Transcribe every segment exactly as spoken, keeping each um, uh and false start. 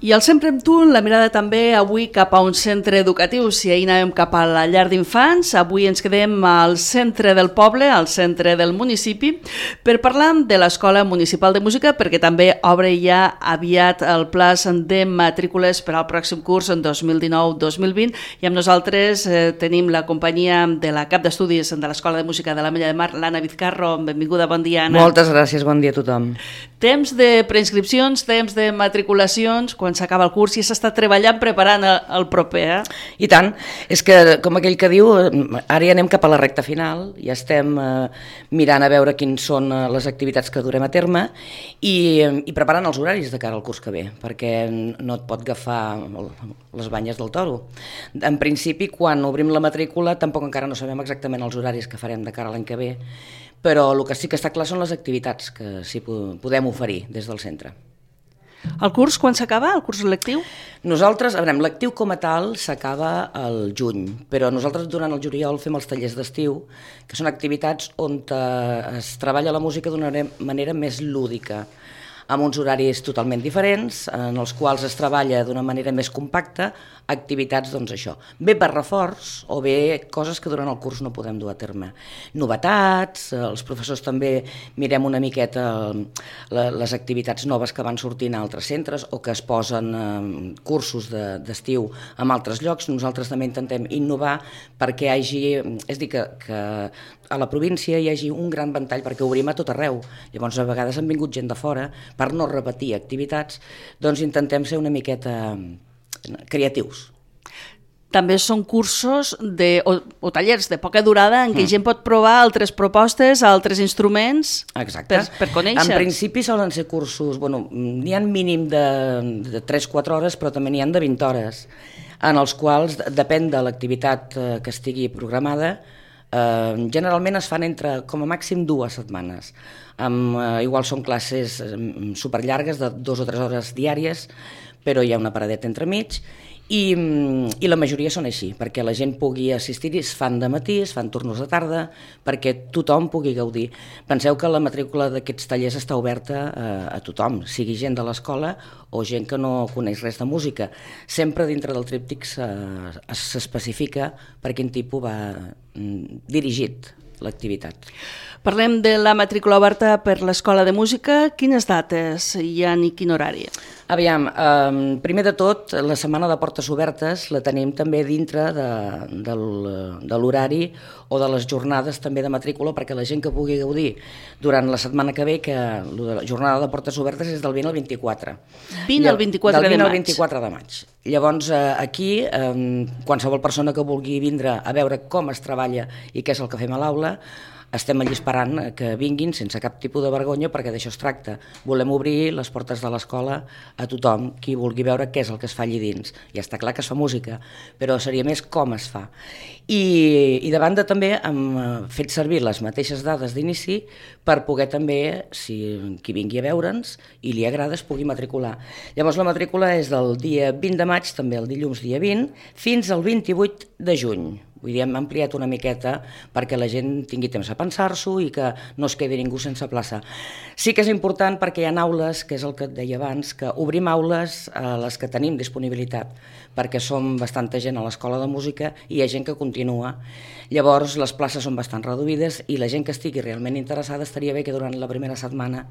I al Sempre amb tu, la mirada també avui cap a un centre educatiu. Si ahir anàvem cap a la llar d'infants, avui ens quedem al centre del poble, al centre del municipi, per parlar de l'Escola Municipal de Música, perquè també obre ja aviat el plaç de matrícules per al pròxim curs en dos mil dinou dos mil vint, i amb nosaltres eh, tenim la companyia de la cap d'estudis de l'Escola de Música de l'Ametlla de Mar, l'Anna Vizcarro. Benvinguda, bon dia, Anna. Moltes gràcies, bon dia a tothom. Temps de preinscripcions, temps de matriculacions, quan s'acaba el curs i s'està treballant preparant el, el proper, eh? I tant, és que com aquell que diu, ara ja anem cap a la recta final, ja estem eh, mirant a veure quins són eh, les activitats que durem a terme i, i preparant els horaris de cara al curs que ve, perquè no et pot agafar les banyes del toro. En principi, quan obrim la matrícula, tampoc encara no sabem exactament els horaris que farem de cara a l'any que ve, però el que sí que està clar són les activitats que sí podem oferir des del centre. El curs quan s'acaba, el curs lectiu? Nosaltres, a veure, l'actiu com a tal s'acaba al juny, però nosaltres durant el juliol fem els tallers d'estiu, que són activitats on es treballa la música d'una manera més lúdica, amb uns horaris totalment diferents, en els quals es treballa d'una manera més compacta, activitats, doncs això, bé per reforç o bé coses que durant el curs no podem dur a terme. Novetats, els professors també mirem una miqueta les activitats noves que van sortint a altres centres o que es posen cursos d'estiu en altres llocs. Nosaltres també intentem innovar perquè hi hagi, és dir, que, que a la província hi hagi un gran ventall perquè obrim a tot arreu. Llavors, a vegades han vingut gent de fora, per no repetir activitats, doncs intentem ser una miqueta creatius. També són cursos de, o, o tallers de poca durada en què mm. gent pot provar altres propostes, altres instruments. Exacte. per, per conèixer. En principi solen ser cursos, bueno, n'hi ha mínim de, de tres a quatre hores, però també n'hi ha de vint hores, en els quals, depèn de l'activitat que estigui programada, eh, generalment es fan entre, com a màxim, dues setmanes. Amb, eh, igual són classes superllargues de dues o tres hores diàries, però hi ha una paradeta entremig, i, i la majoria són així, perquè la gent pugui assistir-hi, es fan de matí, es fan tornos de tarda, perquè tothom pugui gaudir. Penseu que la matrícula d'aquests tallers està oberta a, a tothom, sigui gent de l'escola o gent que no coneix res de música. Sempre dintre del tríptic s'especifica per quin tipus va dirigit l'activitat. Parlem de la matrícula oberta per l'Escola de Música. Quines dates hi ha i quin horari? Aviam, eh, primer de tot, la setmana de portes obertes la tenim també dintre de, de, de l'horari o de les jornades també de matrícula, perquè la gent que pugui gaudir durant la setmana que ve, que la jornada de portes obertes és del vint al vint-i-quatre. vint al vint-i-quatre de maig. Del vint al vint-i-quatre de maig. Llavors, eh, aquí, eh, qualsevol persona que vulgui vindre a veure com es treballa i què és el que fem a l'aula, estem allí esperant que vinguin sense cap tipus de vergonya, perquè d'això es tracta. Volem obrir les portes de l'escola a tothom, qui vulgui veure què és el que es fa allí dins. Ja està clar que es fa música, però seria més com es fa. I, i de banda també hem fet servir les mateixes dades d'inici per poder també, si qui vingui a veure'ns i li agrada, es pugui matricular. Llavors la matrícula és del dia vint de maig, també el dilluns dia vint, fins al vint-i-vuit de juny. Vull dir, hem ampliat una miqueta perquè la gent tingui temps a pensar-s'ho i que no es quedi ningú sense plaça. Sí que és important perquè hi ha aules, que és el que et deia abans, que obrim aules a les que tenim disponibilitat, perquè som bastanta gent a l'Escola de Música i hi ha gent que continua. Llavors les places són bastant reduïdes i la gent que estigui realment interessada estaria bé que durant la primera setmana,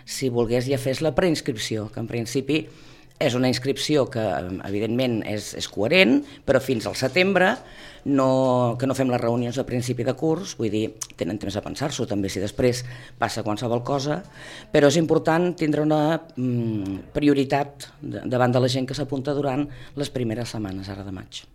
si volgués, ja fes la preinscripció, que en principi és una inscripció que, evidentment, és, és coherent, però fins al setembre, no, que no fem les reunions a principi de curs, vull dir, tenen temps a pensar-s'ho també si després passa qualsevol cosa, però és important tindre una mm, prioritat davant de la gent que s'apunta durant les primeres setmanes, ara de maig.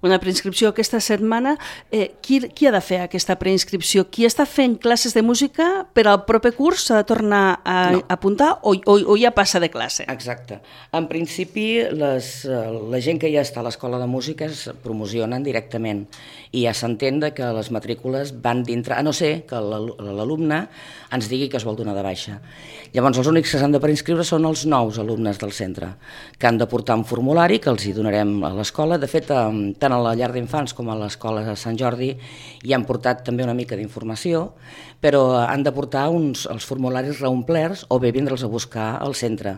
Una preinscripció aquesta setmana. Eh, qui, qui ha de fer aquesta preinscripció? Qui està fent classes de música per al proper curs s'ha de tornar a no. apuntar o, o, o ja passa de classe? Exacte. En principi, les, la gent que ja està a l'Escola de Música es promocionen directament perfectament. I ja s'entén que les matrícules van dintre, a no ser que l'alumne ens digui que es vol donar de baixa. Llavors, els únics que s'han de preinscriure són els nous alumnes del centre, que han de portar un formulari que els hi donarem a l'escola. De fet, tant a la llar d'infants com a l'escola de Sant Jordi hi han portat també una mica d'informació, però han de portar uns, els formularis reomplerts o bé vindre'ls a buscar al centre.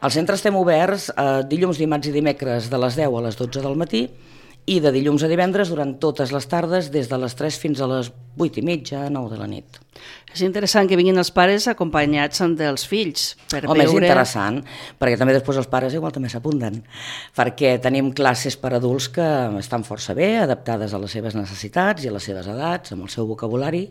Al centre estem oberts eh, dilluns, dimarts i dimecres de les deu a les dotze del matí i de dilluns a divendres durant totes les tardes des de les tres fins a les vuit i mitja, nou de la nit. És interessant que vinguin els pares acompanyats dels fills. Per Home, veure... és interessant, perquè també després els pares igual també s'apunten, perquè tenim classes per adults que estan força bé, adaptades a les seves necessitats i a les seves edats, amb el seu vocabulari,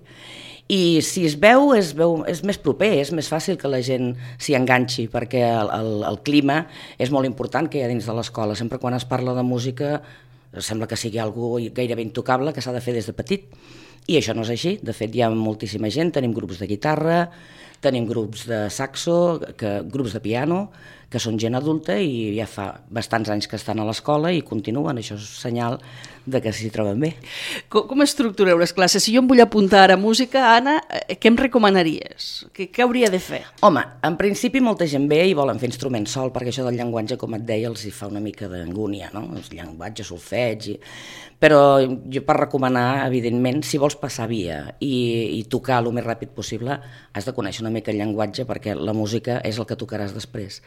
i si es veu és, veu, és més proper, és més fàcil que la gent s'hi enganxi, perquè el, el, el clima és molt important que hi ha dins de l'escola. Sempre quan es parla de música sembla que sigui algo gairebé intocable, que s'ha de fer des de petit, i això no és així. De fet, hi ha moltíssima gent, tenim grups de guitarra, tenim grups de saxo, que, grups de piano, que són gent adulta i ja fa bastants anys que estan a l'escola i continuen. Això és senyal de que s'hi troben bé. Com, com estructureu les classes? Si jo em vull apuntar a música, Anna, què em recomanaries? Què, què hauria de fer? Home, en principi molta gent ve i volen fer instruments sol, perquè això del llenguatge, com et deia, els hi fa una mica d'angúnia, no? El llenguatge, solfeig... I... Però jo per recomanar, evidentment, si vols passar via i, i tocar el més ràpid possible, has de conèixer una mica el llenguatge, perquè la música és el que tocaràs després.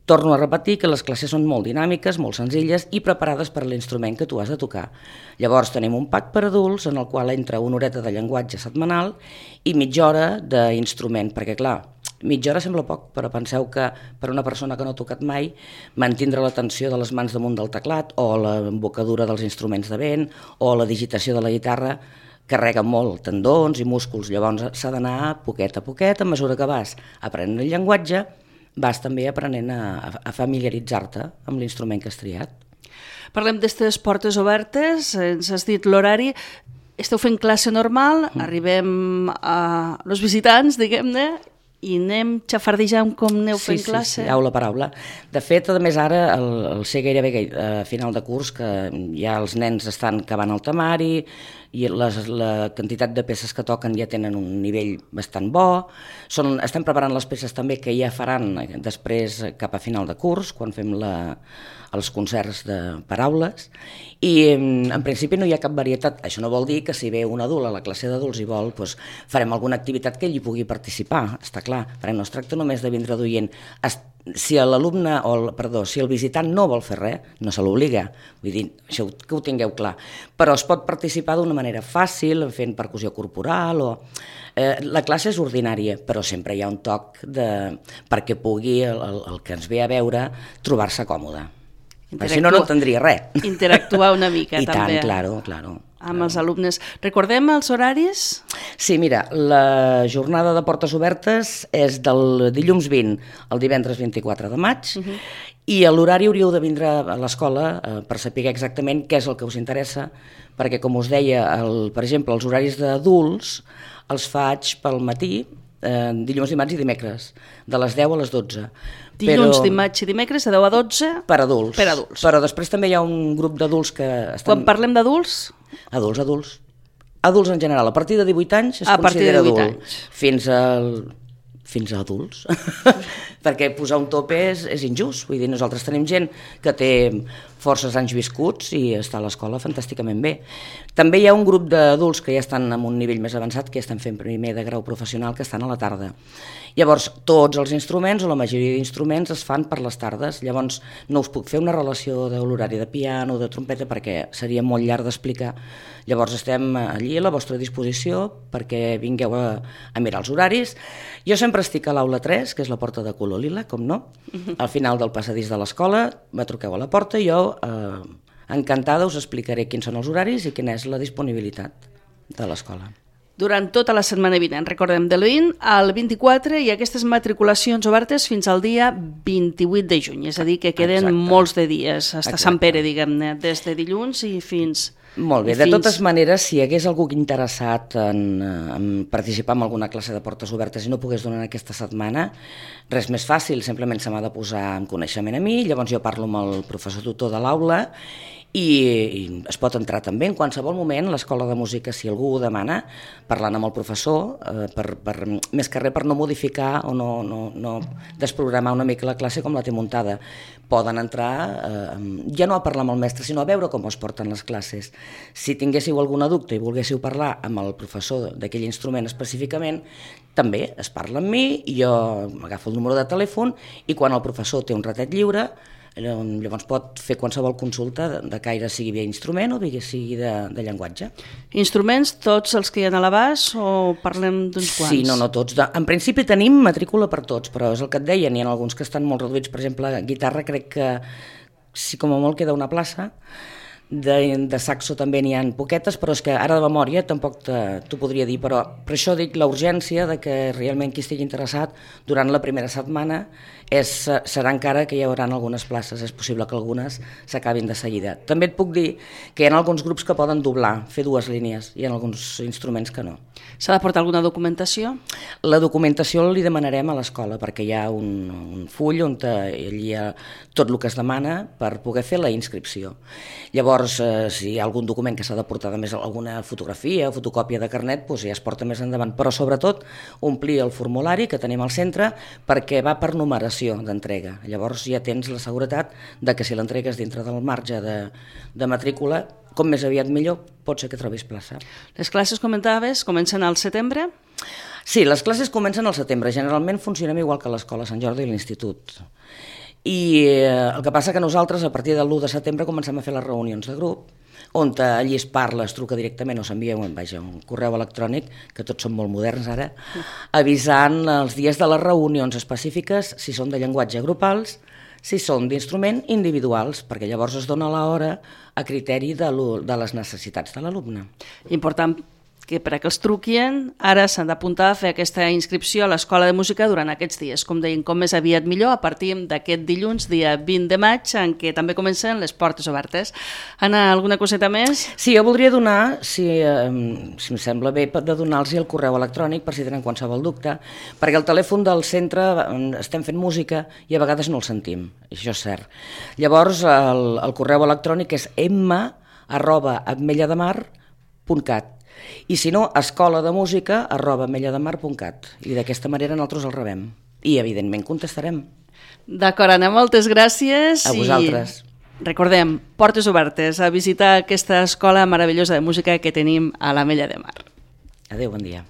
Torno a repetir que les classes són molt dinàmiques, molt senzilles i preparades per l'instrument que tu has de tocar. Llavors tenim un pack per adults en el qual entra una horeta de llenguatge setmanal i mitja hora d'instrument, perquè clar, mitja hora sembla poc, però penseu que per una persona que no ha tocat mai, mantindre la tensió de les mans damunt del teclat o l'embocadura dels instruments de vent o la digitació de la guitarra carrega molt tendons i músculs. Llavors s'ha d'anar poquet a poquet, a mesura que vas aprenent el llenguatge, vas també aprenent a, a familiaritzar-te amb l'instrument que has triat. Parlem d'estes portes obertes, ens has dit l'horari. Esteu fent classe normal, mm. arribem a els visitants, diguem-ne, i anem xafardejant com aneu fent sí, classe? Sí, sí, aula per aula. De fet, a més ara, el, el ser gairebé a final de curs, que ja els nens estan acabant el temari i les, la quantitat de peces que toquen ja tenen un nivell bastant bo. Són, estem preparant les peces també que ja faran després cap a final de curs, quan fem la, els concerts de paraules, i en principi no hi ha cap varietat. Això no vol dir que si ve un adult a la classe d'adults i vol, doncs, farem alguna activitat que ell hi pugui participar, està clar, perquè no es tracta només de vindre d'oient. Si l'alumne, o el, perdó, si el visitant no vol fer res, no se l'obliga, vull dir, això que ho tingueu clar, però es pot participar d'una manera fàcil, fent percussió corporal, o... Eh, la classe és ordinària, però sempre hi ha un toc de... perquè pugui el, el, el que ens ve a veure trobar-se còmode. Perquè si no, no entendria res. Interactuar una mica, I també. I tant, claro, claro. Amb claro. Els alumnes. Recordem els horaris? Sí, mira, la jornada de portes obertes és del dilluns vint al divendres vint-i-quatre de maig, uh-huh. i a l'horari hauríeu de vindre a l'escola eh, per saber exactament què és el que us interessa, perquè, com us deia, el, per exemple, els horaris d'adults els faig pel matí, eh, dilluns, dimarts i dimecres, de les deu a les dotze. Dilluns, però... dimarts i dimecres, de deu a dotze... Per adults. Per adults. Però després també hi ha un grup d'adults que estan... Quan parlem d'adults? Adults, adults. Adults en general. A partir de divuit anys es a considera adult. Anys. Fins al... fins a adults. Perquè posar un tope és, és injust. Vull dir, nosaltres tenim gent que té forces anys viscuts i està a l'escola fantàsticament bé. També hi ha un grup d'adults que ja estan en un nivell més avançat, que ja estan fent primer de grau professional, que estan a la tarda. Llavors, tots els instruments, o la majoria d'instruments, es fan per les tardes. Llavors, no us puc fer una relació de l'horari de piano o de trompeta perquè seria molt llarg d'explicar. Llavors, estem allí a la vostra disposició perquè vingueu a, a mirar els horaris. Jo sempre estic a l'aula tres, que és la porta de color lila, com no. Al final del passadís de l'escola, me truqueu a la porta i jo, eh, encantada, us explicaré quins són els horaris i quina és la disponibilitat de l'escola. Durant tota la setmana vinent, recordem, del vint al vint-i-quatre, i aquestes matriculacions obertes fins al dia vint-i-vuit de juny, és a dir, que queden Exacte. molts de dies, fins a Sant Pere, diguem-ne, des de dilluns i fins... Molt bé, de fins... totes maneres, si hi hagués algú interessat en, en participar en alguna classe de portes obertes i no pogués donar aquesta setmana, res més fàcil, simplement se m'ha de posar en coneixement a mi, llavors jo parlo amb el professor tutor de l'aula i, i es pot entrar també en qualsevol moment a l'escola de música si algú ho demana, parlant amb el professor, eh, per, per, més que res per no modificar o no, no, no desprogramar una mica la classe com la té muntada. Poden entrar, eh, ja no a parlar amb el mestre, sinó a veure com es porten les classes. Si tinguéssiu alguna dubte i volguéssiu parlar amb el professor d'aquell instrument específicament, també es parla amb mi, i jo m'agafo el número de telèfon i quan el professor té un ratet lliure, llavors pot fer qualsevol consulta de caire, sigui bé instrument o bé sigui de, de llenguatge. Instruments, tots els que hi ha a l'abast o parlem d'uns quants? Sí, no, no tots. En principi tenim matrícula per tots, però és el que et deia, n'hi ha alguns que estan molt reduïts. Per exemple, guitarra crec que sí, com a molt queda una plaça. De, de saxo també n'hi ha poquetes, però és que ara de memòria tampoc t'ho podria dir, però per això dic la urgència de que realment qui estigui interessat durant la primera setmana és, serà encara que hi haurà algunes places, és possible que algunes s'acabin de seguida. També et puc dir que hi ha alguns grups que poden doblar, fer dues línies, hi ha alguns instruments que no. S'ha de portar alguna documentació? La documentació li demanarem a l'escola, perquè hi ha un, un full on allí hi ha tot el que es demana per poder fer la inscripció. Llavors, eh, si hi ha algun document que s'ha de portar, més alguna fotografia o fotocòpia de carnet, doncs ja es porta més endavant. Però sobretot omplir el formulari que tenim al centre perquè va per numeració d'entrega. Llavors ja tens la seguretat de que si l'entregues dintre del marge de, de matrícula, com més aviat millor, pot ser que trobis plaça. Les classes, comentaves, comencen al setembre? Sí, les classes comencen al setembre. Generalment funcionem igual que l'escola Sant Jordi i l'institut. I eh, el que passa que nosaltres a partir de l'u de setembre comencem a fer les reunions de grup, on allí es parla, es truca directament o s'envia un, vaja, un correu electrònic, que tots són molt moderns ara, avisant els dies de les reunions específiques, si són de llenguatge grupals, si són d'instrument individuals, perquè llavors es dona l'hora a criteri de, de les necessitats de l'alumne. Important que per a que els truquin, ara s'han d'apuntar a fer aquesta inscripció a l'Escola de Música durant aquests dies. Com deien, com més aviat millor, a partir d'aquest dilluns, dia vint de maig, en què també comencen les portes obertes. Anna, alguna coseta més? Sí, jo voldria donar, si, eh, si em sembla bé, de donar-los el correu electrònic per si tenen qualsevol dubte, perquè el telèfon del centre estem fent música i a vegades no el sentim, això és cert. Llavors, el, el correu electrònic és m arroba ametlla-de-mar punt cat. I si no, escola de música arroba ametlla-de-mar punt cat. I d'aquesta manera nosaltres el rebem. I, evidentment, contestarem. D'acord, Anna, moltes gràcies. A vosaltres. I recordem, portes obertes a visitar aquesta escola meravellosa de música que tenim a l'Ametlla de Mar. Adéu, bon dia.